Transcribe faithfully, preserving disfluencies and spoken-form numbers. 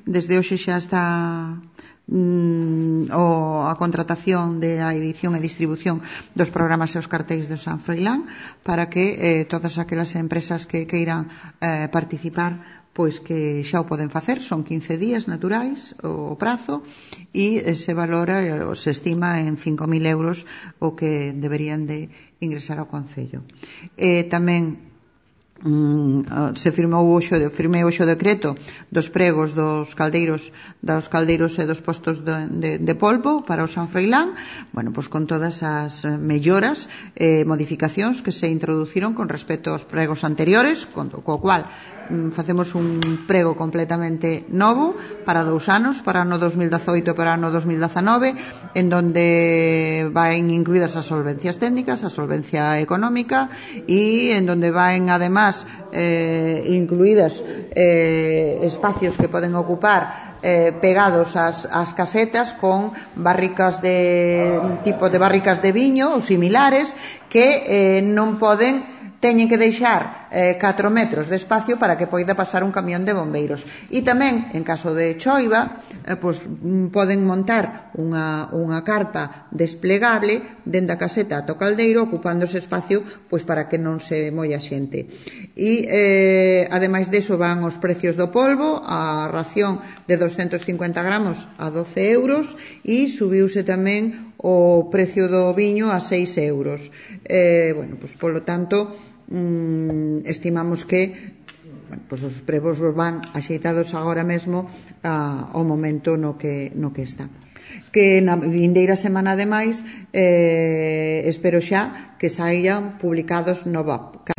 desde hoxe xa está mm, o, a contratación de a edición e distribución dos programas e os cartéis do San Froilán para que eh, todas aquelas empresas que queiran eh, participar pois que xa o poden facer, son quince días naturais o prazo e se valora, se estima en cinco mil euros o que deberían de ingresar ao Concello. E tamén se firmou hoxe, firmei hoxe o decreto dos pregos dos caldeiros dos caldeiros e dos postos de, de, de polvo para o San Froilán, bueno, pois con todas as melloras e eh, modificacións que se introduciron con respecto aos pregos anteriores, con, co cual facemos un prego completamente novo para dous anos, para ano dos mil dezoito e para ano dos mil dezanove, en donde van incluídas as solvencias técnicas, a solvencia económica e en donde van además eh, incluídas eh, espacios que poden ocupar eh, pegados ás, ás casetas con barricas de tipo de barricas de viño ou similares que eh, non poden teñen que deixar eh, catro metros de espacio para que poida pasar un camión de bombeiros. E tamén, en caso de choiva, eh, pois, poden montar unha, unha carpa desplegable dentro da caseta ata o caldeiro, ocupando ese espacio pois, para que non se molla xente. E, eh, ademais deso, van os precios do polvo, a ración de doscientos cincuenta gramos a doce euros e subiuse tamén o precio do viño a seis euros. Eh, bueno, pois, polo tanto, mm, estimamos que bueno, pois os pregos van axeitados agora mesmo a, ao momento no que, no que estamos. Que na vindeira semana, ademais, eh, espero xa que saian publicados nova